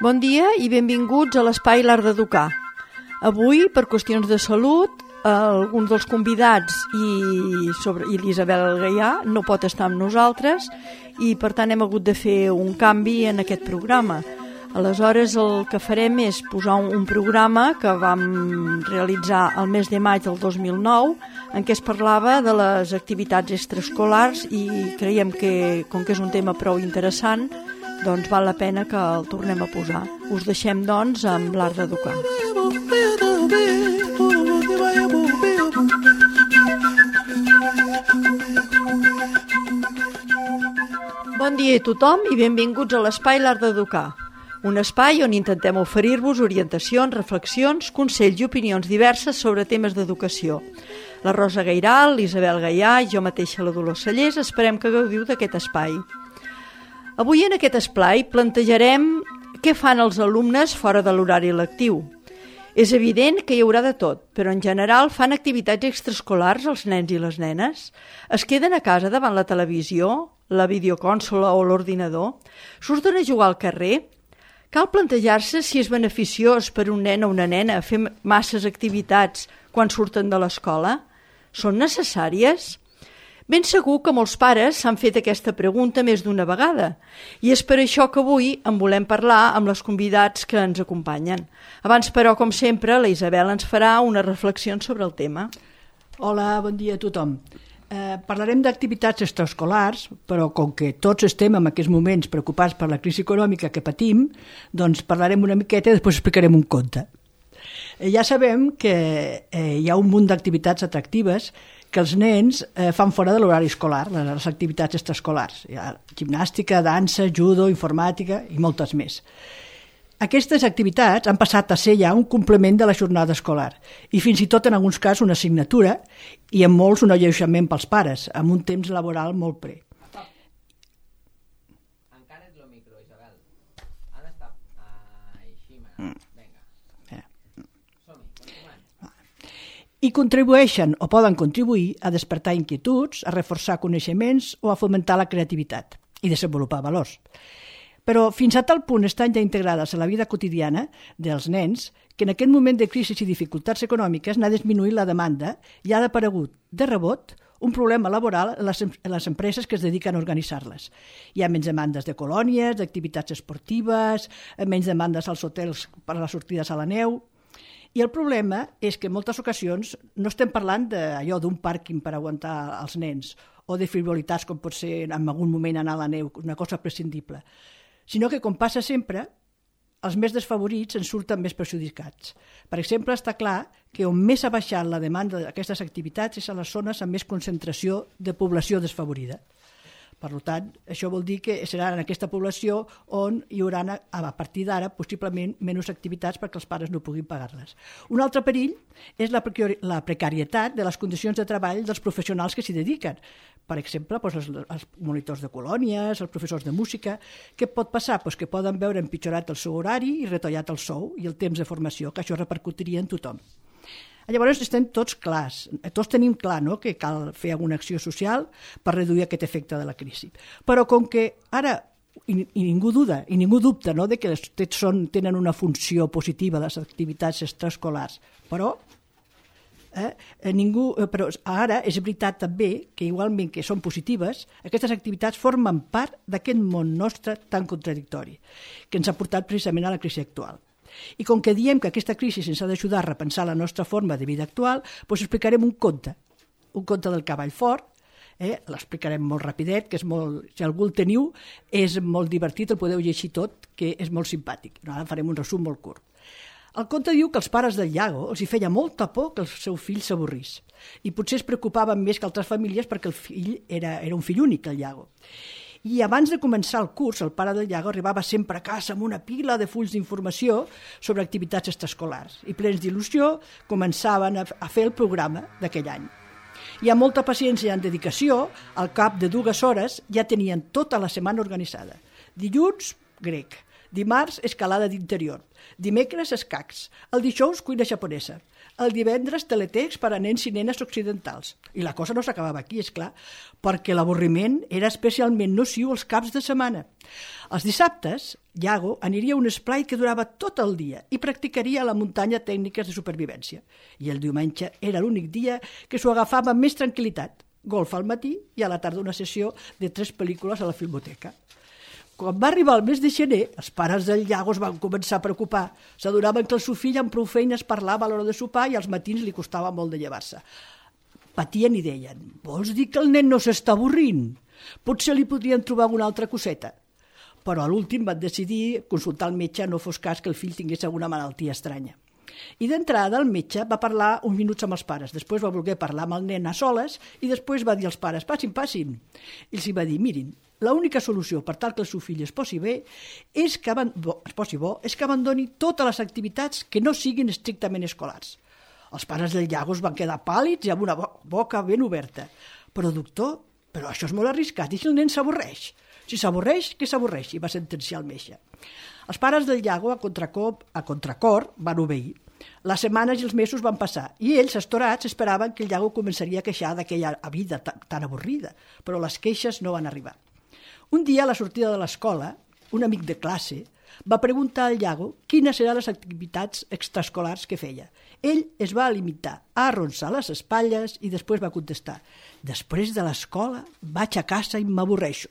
Bon dia i benvinguts a l'Espai L'Art d'Educar. Avui, per qüestions de salut, alguns dels convidats i l'Isabel Gaià no pot estar amb nosaltres i per tant hem hagut de fer un canvi en aquest programa. Aleshores el que farem és posar un programa que vam realitzar el mes de maig del 2009 en què es parlava de les activitats extraescolars i creiem que, com que és un tema prou interessant, doncs val la pena que el tornem a posar. Us deixem, doncs, amb l'Art d'Educar. Bon dia a tothom i benvinguts a l'Espai L'Art d'Educar. Un espai on intentem oferir-vos orientacions, reflexions, consells i opinions diverses sobre temes d'educació. La Rosa Gairal, l'Isabel Gaià i jo mateixa, la Dolors Sallés, esperem que gaudiu d'aquest espai. Avui en aquest espai plantejarem què fan els alumnes fora de l'horari lectiu. És evident que hi haurà de tot, però en general fan activitats extraescolars els nens i les nenes? Es queden a casa davant la televisió, la videocònsola o l'ordinador? Surten a jugar al carrer? Cal plantejar-se si és beneficiós per un nen o una nena fer masses activitats quan surten de l'escola? Són necessàries? Ben segur que molts pares s'han fet aquesta pregunta més d'una vegada i és per això que avui en volem parlar amb les convidats que ens acompanyen. Abans, però, com sempre, la Isabel ens farà unes reflexions sobre el tema. Hola, bon dia a tothom. Parlarem d'activitats extraescolars, però com que tots estem en aquests moments preocupats per la crisi econòmica que patim, doncs parlarem una miqueta i després explicarem un conte. Ja sabem que hi ha un munt d'activitats atractives que els nens fan fora de l'horari escolar, les activitats extraescolars. Hi ha gimnàstica, dansa, judo, informàtica i moltes més. Aquestes activitats han passat a ser ja un complement de la jornada escolar i fins i tot en alguns casos una assignatura i en molts un alleujament pels pares, amb un temps laboral molt pre. Encara ets el micro, Isabel. Ha d'estar així, vinga. Som-hi, continuem. I contribueixen o poden contribuir a despertar inquietuds, a reforçar coneixements o a fomentar la creativitat i desenvolupar valors. Però fins a tal punt estan ja integrades a la vida quotidiana dels nens que en aquest moment de crisi i dificultats econòmiques n'ha disminuït la demanda i ha aparegut de rebot un problema laboral en les empreses que es dediquen a organitzar-les. Hi ha menys demandes de colònies, d'activitats esportives, menys demandes als hotels per a les sortides a la neu. I el problema és que en moltes ocasions no estem parlant d'allò d'un pàrquing per aguantar els nens o de frivolitats com pot ser en algun moment anar a la neu, una cosa prescindible, sinó que, com passa sempre, els més desfavorits en surten més perjudicats. Per exemple, està clar que on més ha baixat la demanda d'aquestes activitats és a les zones amb més concentració de població desfavorida. Per tant, això vol dir que serà en aquesta població on hi haurà, a partir d'ara, possiblement menys activitats perquè els pares no puguin pagar-les. Un altre perill és la precarietat de les condicions de treball dels professionals que s'hi dediquen. Per exemple, els monitors de colònies, els professors de música. Què pot passar? Que poden veure empitjorat el seu horari i retallat el sou i el temps de formació, que això repercutiria en tothom. Llavors estem tots clars, tots tenim clar, no?, que cal fer alguna acció social per reduir aquest efecte de la crisi. Però com que ara ningú duda i ningú dubta, no?, de que tenen una funció positiva les activitats extraescolars, però ara és veritat també que igualment que són positives, aquestes activitats formen part d'aquest món nostre tan contradictori que ens ha portat precisament a la crisi actual. I com que diem que aquesta crisi ens ha d'ajudar a repensar la nostra forma de vida actual, doncs explicarem un conte del cavall fort. L'explicarem molt rapidet, que és molt, si algú el teniu, és molt divertit, el podeu llegir tot, que és molt simpàtic. Ara farem un resum molt curt. El conte diu que els pares del Iago els hi feia molta por que el seu fill s'avorrís i potser es preocupaven més que altres famílies perquè el fill era un fill únic, el Iago. I abans de començar el curs, el pare del Iago arribava sempre a casa amb una pila de fulls d'informació sobre activitats extraescolars i plens d'il·lusió començaven a fer el programa d'aquell any. I amb molta paciència i amb dedicació, al cap de 2 hores ja tenien tota la setmana organitzada. Dilluns, grec. Dimarts, escalada d'interior. Dimecres, escacs. El dijous, cuina japonesa. El divendres, teletext per a nens i nenes occidentals. I la cosa no s'acabava aquí, és clar, perquè l'avorriment era especialment nociu els caps de setmana. Els dissabtes, Iago aniria a un esplai que durava tot el dia i practicaria a la muntanya tècniques de supervivència. I el diumenge era l'únic dia que s'ho agafava amb més tranquil·litat. Golf al matí i a la tarda una sessió de 3 pel·lícules a la Filmoteca. Quan va arribar el mes de gener, els pares del Iago es van començar a preocupar. S'adonaven que el seu fill amb prou feines parlava a l'hora de sopar i als matins li costava molt de llevar-se. Patien i deien, vols dir que el nen no s'està avorrint? Potser li podrien trobar una altra coseta. Però a l'últim van decidir consultar el metge, no fos cas que el fill tingués alguna malaltia estranya. I d'entrada el metge va parlar uns minuts amb els pares, després va voler parlar amb el nen a soles i després va dir als pares, passin. I els va dir, mirin, l'única solució per tal que el seu fill es posi bo és que abandoni totes les activitats que no siguin estrictament escolars. Els pares del Iago es van quedar pàl·lids i amb una boca ben oberta. Però doctor, però això és molt arriscat, i si el nen s'avorreix? Si s'avorreix, que s'avorreixi, va sentenciar el metge. Els pares del Iago, a contracor, van obeir. Les setmanes i els mesos van passar i ells, estorats, esperaven que el Iago començaria a queixar d'aquella vida tan avorrida, però les queixes no van arribar. Un dia, a la sortida de l'escola, un amic de classe va preguntar al Iago quines eren les activitats extraescolars que feia. Ell es va limitar a arronsar les espatlles i després va contestar, després de l'escola vaig a casa i m'avorreixo.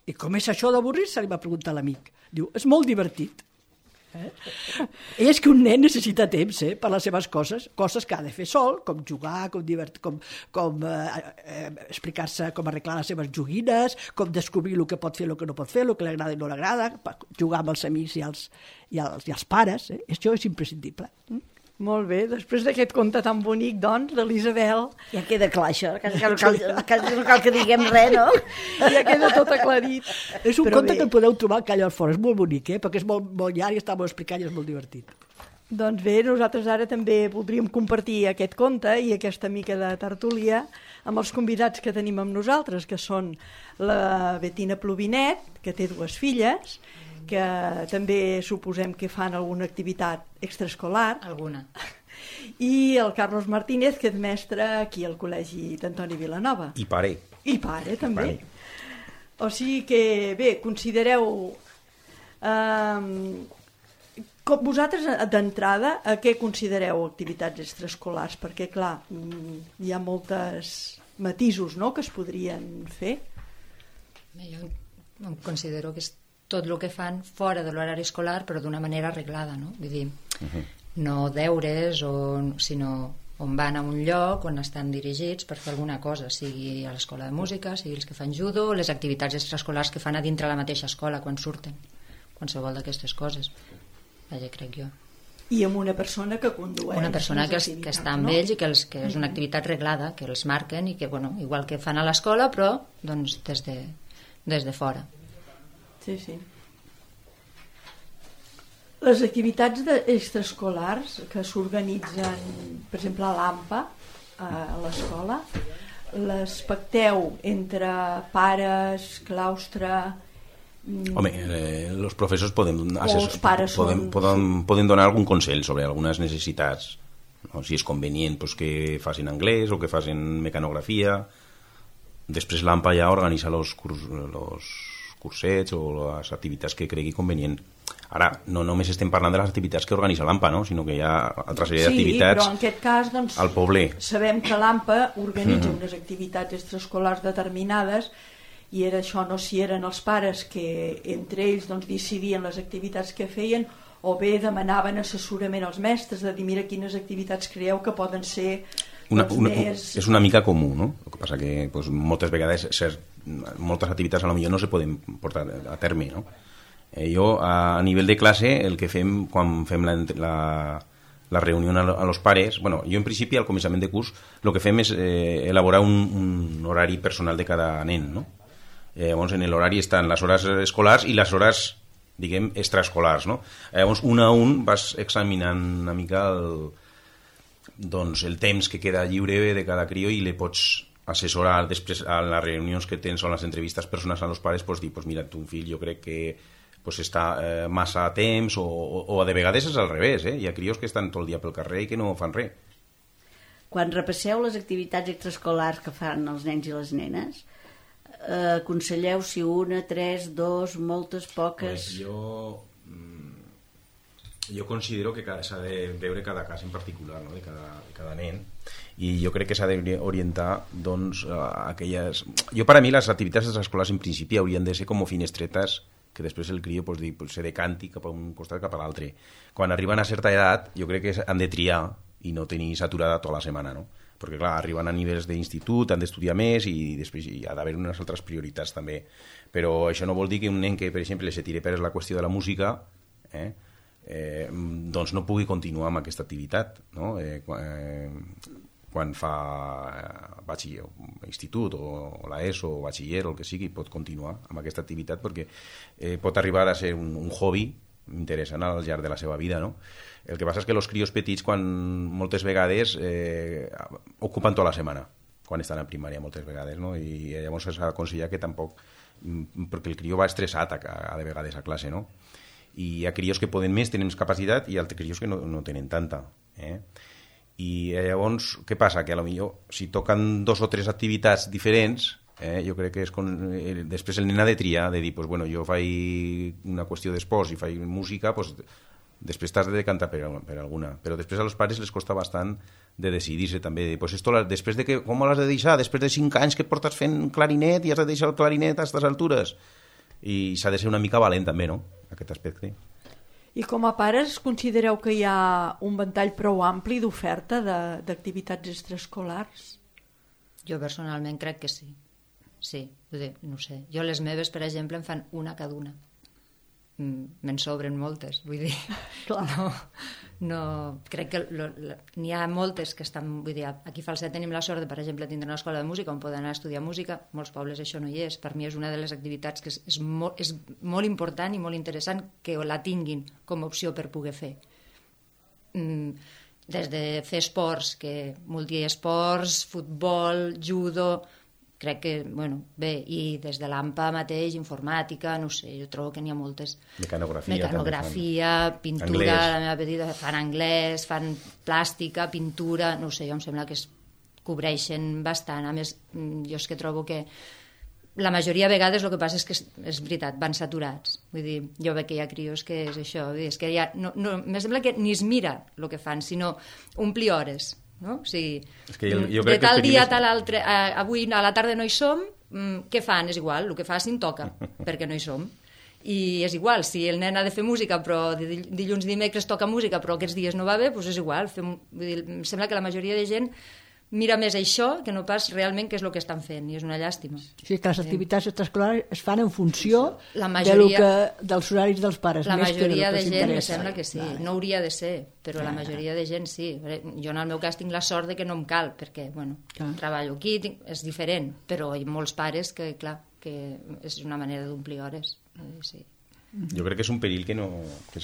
I com és això d'avorrir-se? Li va preguntar l'amic. Diu, és molt divertit. És que un nen necessita temps per les seves coses que ha de fer sol, com jugar, com explicar-se com arreglar les seves joguines, com descobrir el que pot fer, el que no pot fer, el que li agrada i no li agrada, jugar amb els amics i els pares. Això és imprescindible. Molt bé, després d'aquest conte tan bonic, doncs, de l'Isabel... Ja queda clar, això, no cal que diguem res, no? Ja queda tot aclarit. És un conte que el podeu trobar al Calla Fora, és molt bonic, perquè és molt llarg i està molt explicat i és molt divertit. Doncs bé, nosaltres ara també voldríem compartir aquest conte i aquesta mica de tertúlia amb els convidats que tenim amb nosaltres, que són la Betina Plovinet, que té 2 filles, que també suposem que fan alguna activitat extraescolar. Alguna. I el Carlos Martínez, que és mestre aquí al Col·legi d'Antoni Vilanova. I pare. I pare, també. O sigui que, bé, considereu... vosaltres, d'entrada, a què considereu activitats extraescolars? Perquè, clar, hi ha moltes matisos, no?, que es podrien fer. Jo em considero que és tot el que fan fora de l'horari escolar, però d'una manera arreglada, no? Vull dir, no deures, sinó on van a un lloc on estan dirigits per fer alguna cosa, sigui a l'escola de música, sigui els que fan judo, les activitats extraescolars que fan a dintre la mateixa escola quan surten, qualsevol d'aquestes coses. Vaja, crec jo. I amb una persona que condueix. Una persona que està amb ells i que és una activitat reglada, que els marquen i que, bueno, igual que fan a l'escola, però doncs des de fora. Sí. Les activitats extraescolars que s'organitzen, per exemple, a l'AMPA, a l'escola, les pacteu entre pares, claustre... Home, los professors poden donar algun consell sobre algunes necessitats, no? Si és convenient pues, que facin anglès o que facin mecanografia. Després l'AMPA ja organitza los cursets o les activitats que cregui convenient. Ara, no només estem parlant de les activitats que organitza l'AMPA, no? Sinó que hi ha altra sèrie d'activitats però en aquest cas, doncs, al poble. Sabem que l'AMPA organitza unes activitats extraescolars determinades i era això, no si eren els pares que entre ells doncs, decidien les activitats que feien o bé demanaven assessorament als mestres de dir mira quines activitats creieu que poden ser és una mica comú, no? El que passa que pues, moltes vegades moltes activitats a lo millor no se poden portar a terme, no? Jo a nivell de classe el que fem quan fem la reunió a los pares, bueno, jo en principi al començament de curs el que fem és elaborar un horari personal de cada nen, no? Llavors en l'horari estan les hores escolars i les hores, diguem, extraescolars, no? Llavors un a un vas examinant una mica el temps que queda lliure de cada crió i le pots assessorar després a les reunions que tens o a les entrevistes personals a los pares, pues dir, pues mira, tu fill jo crec que pues està massa a temps o de vegades és al revés, hi ha crios que estan tot el dia pel carrer i que no fan res. Quan repasseu les activitats extraescolars que fan els nens i les nenes, aconselleu si una, 3, 2, moltes, poques... Jo considero que s'ha de veure cada cas en particular, no? de cada nen, i jo crec que s'ha d'orientar doncs, a aquelles... Per a mi les activitats extraescolars en principi haurien de ser com finestretes que després el crió se decanti cap a un costat cap a l'altre. Quan arriben a certa edat jo crec que han de triar i no tenir saturada tota la setmana, no? Perquè clar, arriben a nivells d'institut, han d'estudiar més i després hi ha d'haver unes altres prioritats també. Però això no vol dir que un nen que, per exemple, se tire per la qüestió de la música doncs no pugui continuar amb aquesta activitat, no? Quan fa institut o l'ESO o batxiller o el que sigui, pot continuar amb aquesta activitat perquè pot arribar a ser un hobby interessant al llarg de la seva vida, no? El que passa és que els crios petits moltes vegades ocupen tota la setmana quan estan a primària moltes vegades, no? I llavors s'ha d'aconsellar que tampoc, perquè el crió va estressat de vegades a classe, no? I hi ha crios que poden més, tenen més capacitat i altres crios que no tenen tanta. I llavors, què passa? Que potser si toquen 2 o 3 activitats diferents, jo crec que després el nen ha de triar, de dir, pues, bueno, jo faig una qüestió d'esports i faig música, pues, després t'has de decantar per alguna. Però després als pares les costa bastant de decidir-se també. Pues esto, després de que, com l'has de deixar? Després de 5 anys que portes fent clarinet i has de deixar el clarinet a aquestes altures? I s'ha de ser una mica valent també, no?, aquest aspecte. I com a pares considereu que hi ha un ventall prou ampli d'oferta d'activitats extraescolars? Jo personalment crec que sí. Sí, no sé. Jo les meves, per exemple, em fan una cada una. Me'n sobren moltes, vull dir. No, crec que n'hi ha moltes que estan, vull dir, aquí a Falset tenim la sort de, per exemple, tindre una escola de música on poden anar a estudiar música, molts pobles això no hi és. Per mi és una de les activitats que és molt important i molt interessant que la tinguin com a opció per poder fer. Des de fer esports, que multiesports, futbol, judo... Crec que, bueno, bé, i des de l'AMPA mateix, informàtica, no sé, jo trobo que n'hi ha moltes. Mecanografia, pintura, la meva petita, fan anglès, fan plàstica, pintura, no sé, jo em sembla que es cobreixen bastant. A més, jo és que trobo que la majoria de vegades el que passa és que és veritat, van saturats. Vull dir, jo veig que hi ha crios que és això, és que ja, me sembla que ni es mira el que fan, sinó omplir hores. No? O sigui, jo de tal dia a tal altre, avui a la tarda no hi som, què fan? És igual, el que facin toca, perquè no hi som. I és igual, si el nen ha de fer música, però dilluns i dimecres toca música, però aquests dies no va bé, doncs és igual. Em sembla que la majoria de gent mira més això que no pas realment què és el que estan fent, i és una llàstima. Sí, que les activitats extraescolars es fan en funció dels horaris dels pares. La majoria de gent me sembla que sí, no hauria de ser, però la majoria de gent sí. Jo en el meu cas tinc la sort de que no em cal, perquè treballo aquí, és diferent, però hi ha molts pares que, clar, que és una manera d'omplir hores. Sí. Jo crec que és un perill que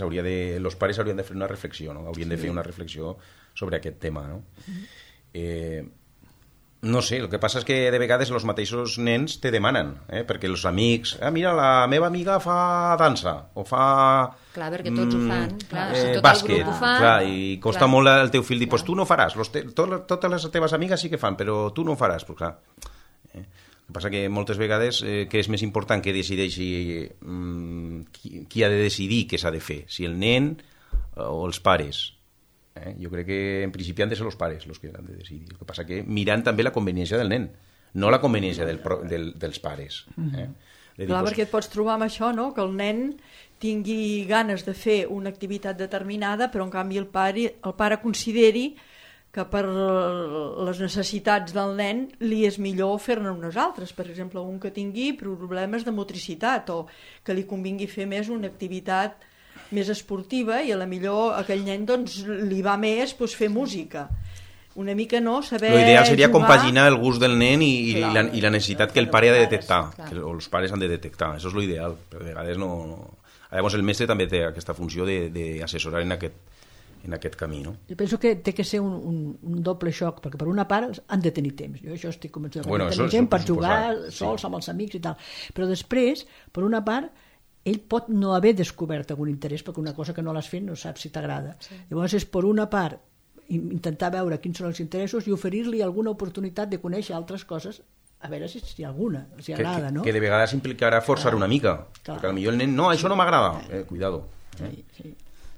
s'hauria de... Els pares haurien de fer una reflexió, no? Haurien de fer una reflexió sobre aquest tema, no? No sé, el que passa és que de vegades els mateixos nens te demanen, perquè els amics, mira, la meva amiga fa dansa o fa... Clar, perquè tots ho fan, clar, si tot bàsquet, el grup ho fa... Clar, i costa molt al teu fill dir, pues tu no faràs, totes les teves amigues sí que fan, però tu no ho faràs, però clar... El que passa que moltes vegades que és més important que decideixi qui ha de decidir què s'ha de fer, si el nen o els pares. Jo crec que en principi han de ser els pares els que han de decidir. El que passa que mirant també la conveniència del nen, no la conveniència dels pares. Clar, perquè et pots trobar amb això, no? Que el nen tingui ganes de fer una activitat determinada, però en canvi el pare consideri que per les necessitats del nen li és millor fer-ne unes altres. Per exemple, un que tingui problemes de motricitat o que li convingui fer més una activitat més esportiva i a la millor aquell nen doncs, li va més fer música. Una mica saber l'ideal seria compaginar el gust del nen i la necessitat que el pare ha de detectar, o els pares han de detectar. Això és l'ideal, però de vegades no... Llavors el mestre també té aquesta funció d'assessorar en aquest camí, no? Jo penso que té que ser un doble xoc, perquè per una part han de tenir temps. Jo això estic convençut, tenir temps per jugar sols amb els amics i tal. Però després, per una part, ell pot no haver descobert algun interès, perquè una cosa que no l'has fet no saps si t'agrada. Llavors és, per una part, intentar veure quins són els interessos i oferir-li alguna oportunitat de conèixer altres coses, a veure si hi ha alguna, si agrada, no? Que de vegades implicarà forçar una mica, perquè potser el nen, no, això no m'agrada, cuidado. Sí.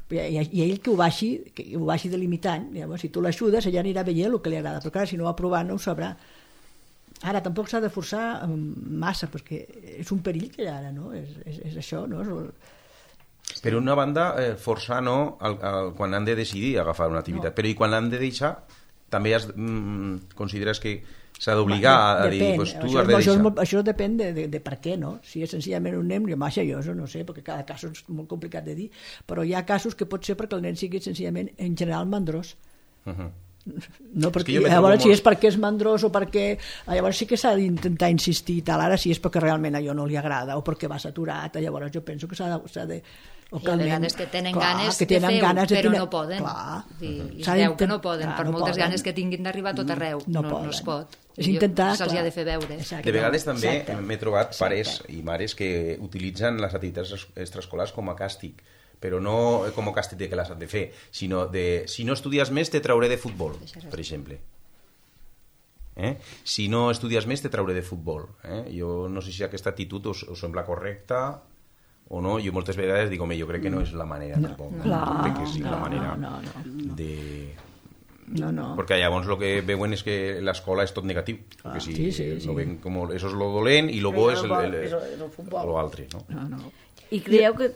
I ell que ho vagi delimitant, llavors, si tu l'ajudes, ella anirà veient el que li agrada, però clar, si no ho ha provat no ho sabrà. Ara, tampoc s'ha de forçar massa, perquè és un perill que hi ha ara, no? És això, no? Per una banda, forçar no quan han de decidir agafar una activitat, però i quan l'han de deixar, també consideres que s'ha d'obligar a dir, pues, tu has de deixar. Això depèn de per què, no? Si és senzillament un nen, jo això no sé, perquè cada cas és molt complicat de dir, però hi ha casos que pot ser perquè el nen sigui senzillament, en general, mandrós. No, perquè llavors si és perquè és mandrós o perquè... Llavors sí que s'ha d'intentar insistir i tal, ara si és perquè realment allò no li agrada o perquè va saturat, llavors jo penso que s'ha de... O que hi ha vegades que tenen ganes de fer-ho, però no poden. I es veu que no poden, per moltes ganes que tinguin d'arribar a tot arreu. No es pot. Se'ls ha de fer veure. De vegades també m'he trobat pares i mares que utilitzen les activitats extraescolars com a càstig, però no com a càstig de que les han de fer, sinó de si no estudies més te trauré de futbol, per exemple. Si no estudies més te trauré de futbol. Jo no sé si aquesta actitud us sembla correcta o no. Jo moltes vegades dic, home, jo crec que no és la manera tampoc. No crec que sigui la manera de... No. Perquè llavors el que veuen és que l'escola és tot negatiu. Perquè si no ven com això és lo dolent i lo bo és l'altre. I creieu que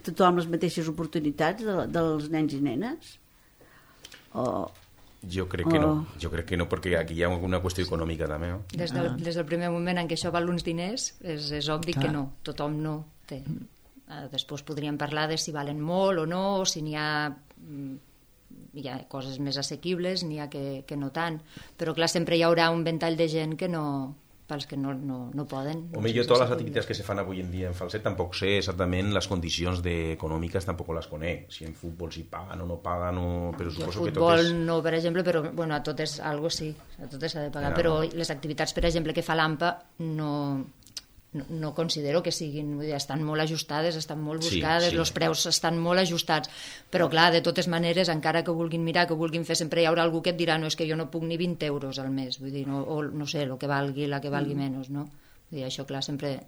tothom les mateixes oportunitats dels nens i nenes? Jo crec que no, perquè aquí hi ha una qüestió econòmica també, no? Des del primer moment en què això val uns diners és obvi que no, tothom no té. Després podríem parlar de si valen molt o no, o si n'hi ha coses més assequibles, n'hi ha que no tant, però clar, sempre hi haurà un ventall de gent que no, pels que no poden. Home, jo totes les activitats que se fan avui en dia en Falset tampoc sé exactament les condicions econòmiques, tampoc les conec, si en futbol si paguen o no paguen, però suposo que tot és... Futbol no, per exemple, però bueno, a totes algo sí, a totes s'ha de pagar, però les activitats, per exemple, que fa l'AMPA no considero que siguin, estan molt ajustades, estan molt buscades, els preus estan molt ajustats, però clar, de totes maneres, encara que vulguin mirar, que vulguin fer, sempre hi haurà algú que et dirà, no, és que jo no puc ni 20 euros al mes, vull dir, o no sé, el que valgui, la que valgui menys, no? Vull dir, això, clar, sempre,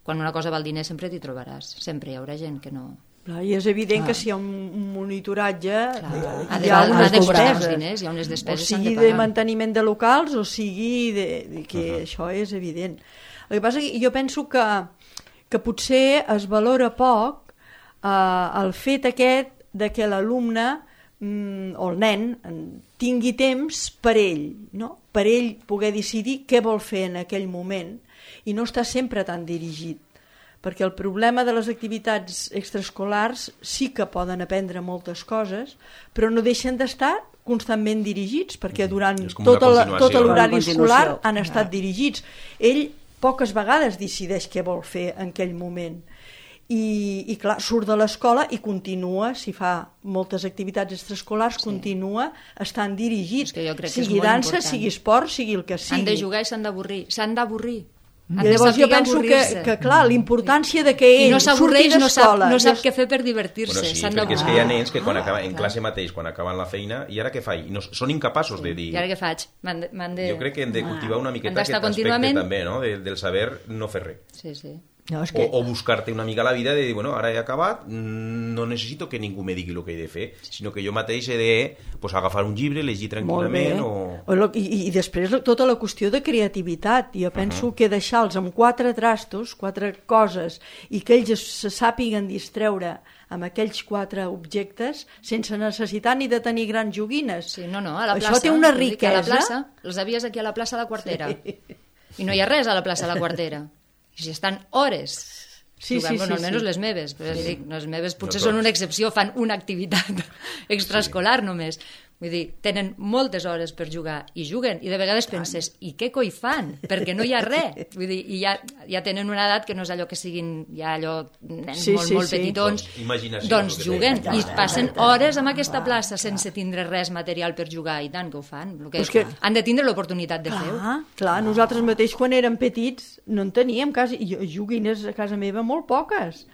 quan una cosa val diners sempre t'hi trobaràs, sempre hi haurà gent que no... I és evident que si hi ha un monitoratge hi ha unes despeses, o sigui de manteniment de locals o sigui que això és evident. El que passa és que jo penso que potser es valora poc el fet aquest de que l'alumne o el nen tingui temps per ell, no? Per ell poder decidir què vol fer en aquell moment i no estar sempre tan dirigit. Perquè el problema de les activitats extraescolars sí que poden aprendre moltes coses, però no deixen d'estar constantment dirigits, perquè durant tot l'horari escolar han estat dirigits. Ell poques vegades decideix què vol fer en aquell moment. I clar, surt de l'escola i continua, si fa moltes activitats extraescolars, continua estant dirigit. Sigui dansa, sigui esport, sigui el que sigui. Han de jugar i s'han d'avorrir. I llavors jo penso que clar, l'importància de que ell surti d'escola no sap què fer per divertir-se. Sí, perquè és que hi ha nens que quan acaben en classe mateix, quan acaben la feina, i ara què faig? Són incapaços de dir... I ara què faig? Jo crec que hem de cultivar una miqueta aquest aspecte també, no? Del saber no fer res. Sí. O buscar-te una mica la vida de dir, bueno, ara he acabat, no necessito que ningú me digui el que he de fer, sinó que jo mateix he de agafar un llibre, llegir tranquil·lament I després tota la qüestió de creativitat. Jo penso que deixar-los amb 4 trastos, 4 coses, i que ells se sàpiguen distreure amb aquells 4 objectes sense necessitat ni de tenir grans joguines. Sí, no, a la plaça. Això té una riquesa. Els havies aquí a la plaça de la Quartera. I no hi ha res a la plaça de la Quartera. I si estan hores jugant, almenys les meves, però dic, les meves potser són una excepció, fan una activitat extraescolar només. Vull dir, tenen moltes hores per jugar i juguen, i de vegades penses, i què coi fan? Perquè no hi ha res. Vull dir, i ja tenen una edat que no és allò que siguin ja allò nens molt petitons. Doncs juguen i passen hores en aquesta plaça sense tindre res material per jugar, i tant que ho fan. Han de tindre l'oportunitat de fer-ho. Clar, nosaltres mateix quan érem petits no en teníem quasi, joguines a casa meva molt poques,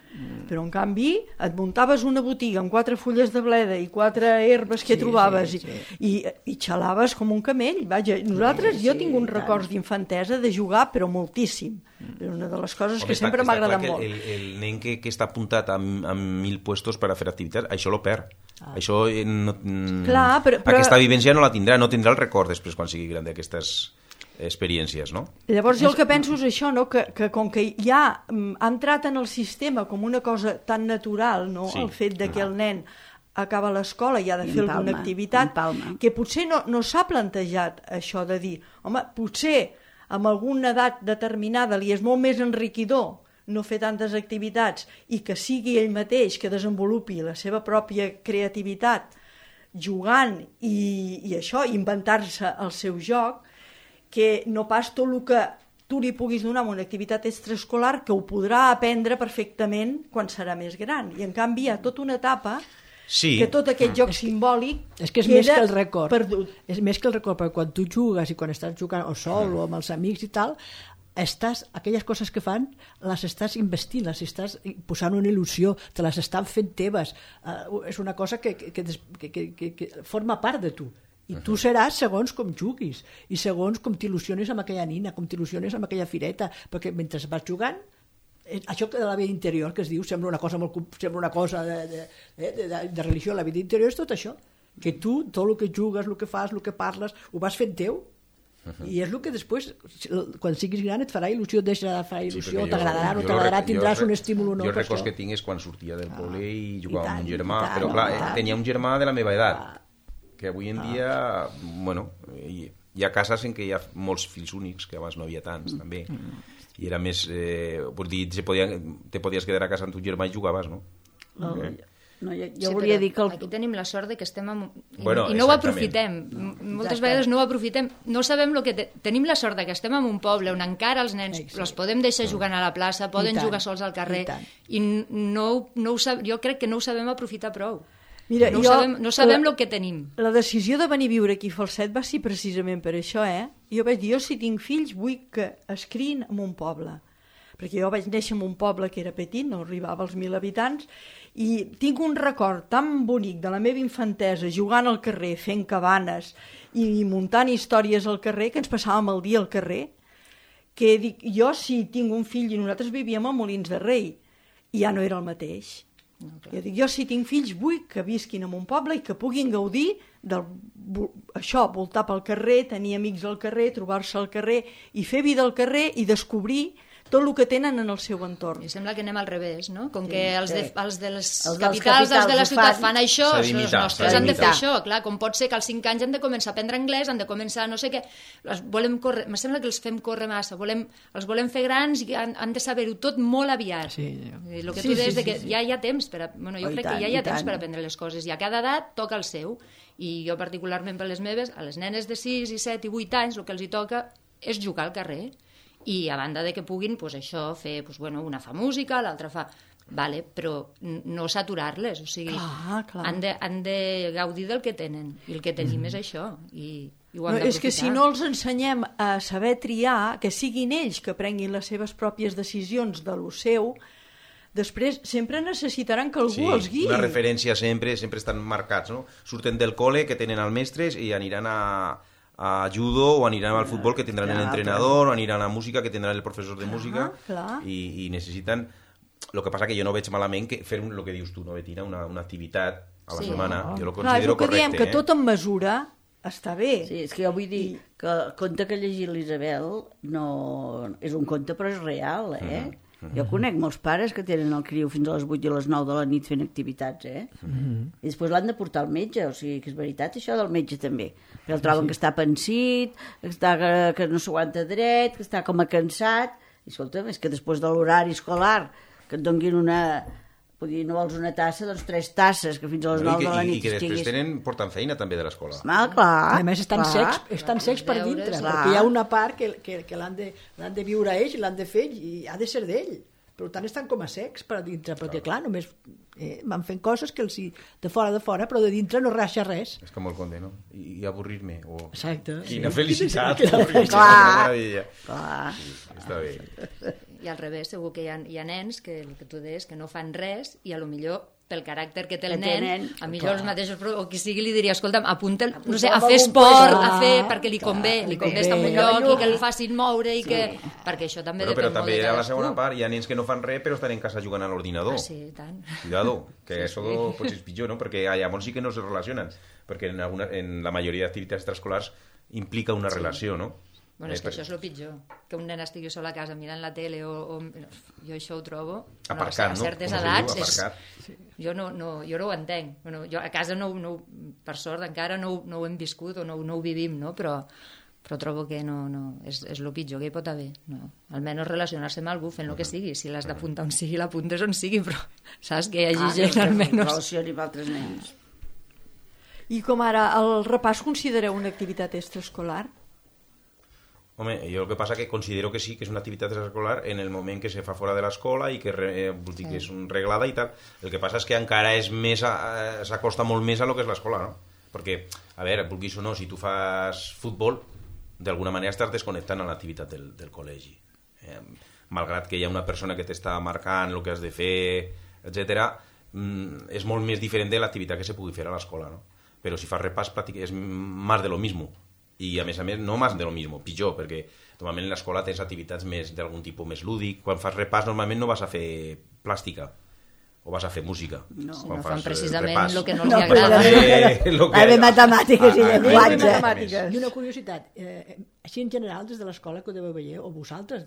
però en canvi et muntaves una botiga amb 4 fulles de bleda i 4 herbes que trobaves i xalaves com un camell. Vaja, jo tinc uns records d'infantesa de jugar, però moltíssim. És una de les coses que sempre m'ha agradat molt. El nen que està apuntat a 1.000 puestos per a fer activitats, això lo perd. Això aquesta vivència no la tindrà, no tindrà el record després quan sigui gran d'aquestes experiències, no? Llavors jo el que penso és això, no? Que com que ja ha entrat en el sistema com una cosa tan natural, no? El fet de que el nen acaba l'escola i ha de fer alguna activitat, que potser no s'ha plantejat això de dir, home, potser amb alguna edat determinada li és molt més enriquidor no fer tantes activitats i que sigui ell mateix que desenvolupi la seva pròpia creativitat jugant i això, inventar-se el seu joc, que no pas tot el que tu li puguis donar amb una activitat extraescolar que ho podrà aprendre perfectament quan serà més gran. I en canvi hi ha tota una etapa que tot aquest joc simbòlic és que és més que el record perdut. És més que el record, perquè quan tu jugues i quan estàs jugant o sol o amb els amics i tal, aquelles coses que fan les estàs investint, les estàs posant una il·lusió, te les estan fent teves. És una cosa que forma part de tu. I tu seràs segons com juguis i segons com t'il·lusiones amb aquella nina, com t'il·lusiones amb aquella fireta, perquè mentre vas jugant, això de la vida interior que es diu sembla una cosa de religió. La vida interior és tot això, que tu, tot el que jugues, el que fas, el que parles, ho vas fent teu. I és el que després, quan siguis gran, et farà il·lusió, deixarà de fer il·lusió, t'agradarà, no t'agradarà, tindràs un estímul o no. Jo el record que tinc és quan sortia del poble i jugava amb un germà, però clar, tenia un germà de la meva edat, que avui en dia, bueno, hi ha cases en què hi ha molts fills únics, que abans no havia tants, també, i era més, vull dir, te podies quedar a casa amb tu germà i jugaves, no? Jo volia dir que aquí tenim la sort de que estem i no ho aprofitem, moltes vegades no ho aprofitem, no sabem el que tenim la sort de que estem en un poble on encara els nens els podem deixar jugant a la plaça, poden jugar sols al carrer i jo crec que no ho sabem aprofitar prou. Mira, no sabem el que tenim. La decisió de venir a viure aquí a Falset va ser precisament per això, Jo vaig dir, si tinc fills vull que es criïn en un poble, perquè jo vaig néixer en un poble que era petit, no arribava als 1.000 habitants, i tinc un record tan bonic de la meva infantesa jugant al carrer, fent cabanes i muntant històries al carrer, que ens passàvem el dia al carrer, que dic, jo si tinc un fill, i nosaltres vivíem a Molins de Rei, i ja no era el mateix. Jo dic, jo si tinc fills vull que visquin en un poble i que puguin gaudir d'això, voltar pel carrer, tenir amics al carrer, trobar-se al carrer i fer vida al carrer i descobrir tot el que tenen en el seu entorn. I sembla que anem al revés, no? Com que els de les capitals, els de la ciutat fan això, els nostres han de fer això. Clar, com pot ser que als 5 anys han de començar a aprendre anglès, han de començar no sé què. Me sembla que els fem córrer massa. Els volem fer grans i han de saber-ho tot molt aviat. El que tu deies que ja hi ha temps per jo crec que ja hi ha temps per aprendre les coses i a cada edat toca el seu. I jo particularment per les meves, a les nenes de 6 i 7 i 8 anys, el que els hi toca és jugar al carrer. I a banda de que puguin això fer, una fa música, l'altra fa... però no saturar-les, o sigui, han de gaudir del que tenen, i el que tenim és això, i ho han d'aprofitar. És que si no els ensenyem a saber triar, que siguin ells que prenguin les seves pròpies decisions de lo seu, després sempre necessitaran que algú els guiï. Una referència sempre estan marcats, no? Surten del col·le que tenen els mestres i aniran a judo o aniran al futbol que tindran l'entrenador o aniran a música que tindran el professor de música i necessiten... El que passa que jo no veig malament que fer el que dius tu, no, Betina, una activitat a la setmana, jo ho considero correcte. Diem que tot en mesura està bé. Sí, és que jo vull dir que el conte que ha llegit l'Isabel no... és un conte però és real, Jo conec molts pares que tenen el criu fins a les 8 i a les 9 de la nit fent activitats, I després l'han de portar al metge, o sigui que és veritat això del metge també. Però el troben que està pensit, que no s'aguanta dret, que està com a cansat. I escolta'm, és que després de l'horari escolar que et donguin una dir, no vols una tassa, doncs 3 tasses, que fins a les 9 de la nit I que després porten feina també de l'escola. Clar. A més, estan secs per dintre, perquè hi ha una part que l'han de viure ells, l'han de fer i ha de ser d'ell. Per tant, estan com a secs per dintre, perquè clar, només van fent coses que els de fora, però de dintre no raja res. És com el conde, no? I avorrir-me. Exacte. Quina felicitat. Clar. Sí, està bé. I al revés, segur que hi ha nens que el que tu deies, que no fan res i a lo millor pel caràcter que té el nen, a millor els mateixos, o qui sigui li diria, escolta'm, apunta'l, no sé, a fer esport, perquè li convé estar en un lloc i que el facin moure i que... Perquè això també depèn però molt també de a la cadascú. segona part hi ha nens que no fan res però estan en casa jugant a l'ordinador. Sí, tant. Cuidado, que això potser és pitjor, no? Perquè llavors sí que no se relacionen, perquè en la majoria d'activitats extraescolars implica una relació, no? Bueno, és que això és el pitjor, que un nen estigui sol a casa mirant la tele o jo això ho trobo... Aparcat, a no? certes edats... Jo no ho entenc. Bueno, jo a casa, per sort, encara no ho hem viscut o no ho vivim, no? Però trobo que és el pitjor que hi pot haver. No. Almenys relacionar-se amb algú fent el que sigui. Si l'has d'apuntar on sigui, l'apuntes on sigui, però saps que hi hagi gent almenys... Relacioni amb altres nens. I com ara, el repàs considereu una activitat extraescolar? Home, jo el que passa que considero que sí, que és una activitat extraescolar en el moment que se fa fora de l'escola i que, vull dir, que és reglada i tal. El que passa és que encara és més, s'acosta molt més a lo que és l'escola, no? Perquè, a veure, vulguis o no, si tu fas futbol, d'alguna manera estàs desconnectant a l'activitat del col·legi. Malgrat que hi ha una persona que t'està marcant el que has de fer, etc., és molt més diferent de l'activitat que se pugui fer a l'escola, no? Però si fas repàs, és més de lo mismo. I a més, no més de lo mismo, pitjor, perquè normalment en l'escola tens activitats més d'algun tipus més lúdic. Quan fas repàs normalment no vas a fer plàstica o vas a fer música. No, quan fan precisament repàs. el que no els agrada. De matemàtiques i llenguatge. I una curiositat, així en general des de l'escola que ho deveu veure, o vosaltres,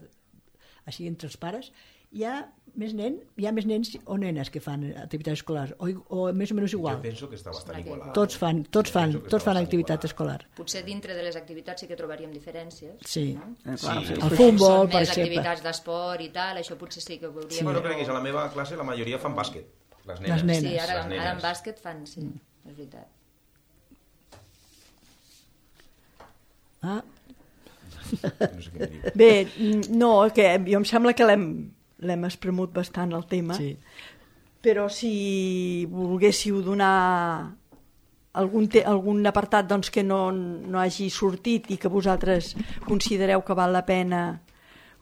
així entre els pares, hi ha més nens o nenes que fan activitat escolar o més o menys igual. Jo penso que està bastant igualat. Tots fan activitat escolar. Potser dintre de les activitats sí que trobaríem diferències. Sí. No? El futbol, per més exemple. activitats d'esport i tal, això potser sí que ho veuríem. Bueno, crec que a la meva classe la majoria fan bàsquet. Les nenes. Sí, ara en bàsquet fan, sí, és veritat. No sé què dir. Bé, no, que jo em sembla que l'hem espremut bastant el tema, Sí. però si volguéssiu donar algun apartat doncs, que no hagi sortit i que vosaltres considereu que val la pena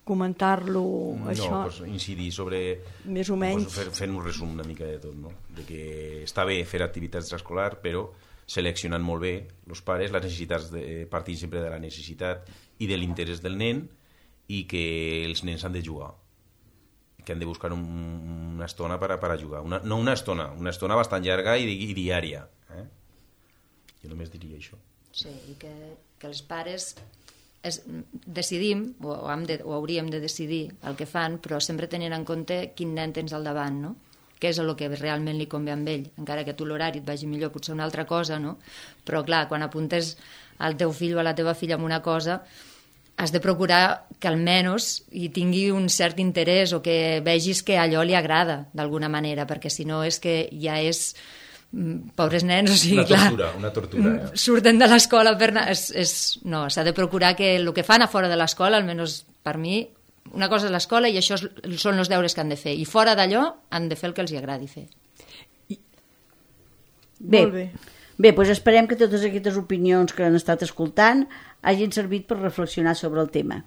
comentar-lo, això... No, pues incidir sobre... Més o menys. Pues fent un resum una mica de tot, no? De que està bé fer activitats extraescolars, però seleccionant molt bé els pares, les necessitats partint sempre de la necessitat i de l'interès del nen, i que els nens han de jugar, que han de buscar una estona per a jugar. No una estona bastant llarga i diària. Jo només diria això. Sí, i que els pares decidim, o hauríem de decidir el que fan, però sempre tenint en compte quin nen tens al davant, no? Què és el que realment li convé amb ell, encara que tu l'horari et vagi millor, potser una altra cosa, no? Però clar, quan apuntes al teu fill o a la teva filla en una cosa, has de procurar que almenys hi tingui un cert interès o que vegis que allò li agrada d'alguna manera, perquè si no és que ja és... pobres nens, o sigui, una tortura. Surten de l'escola per anar... No, s'ha de procurar que el que fan a fora de l'escola, almenys per mi, una cosa és l'escola i això són els deures que han de fer, i fora d'allò han de fer el que els agradi fer. Bé, doncs esperem que totes aquestes opinions que han estat escoltant hagin servit per reflexionar sobre el tema.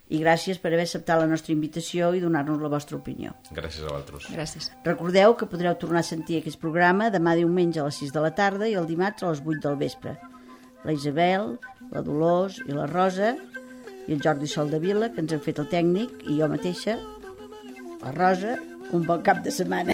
I gràcies per haver acceptat la nostra invitació i donar-nos la vostra opinió. Gràcies a vosaltres. Gràcies. Recordeu que podreu tornar a sentir aquest programa demà diumenge a les 6 de la tarda i el dimarts a les 8 del vespre. La Isabel, la Dolors i la Rosa i el Jordi Soldevila, que ens han fet el tècnic, i jo mateixa, la Rosa, un bon cap de setmana.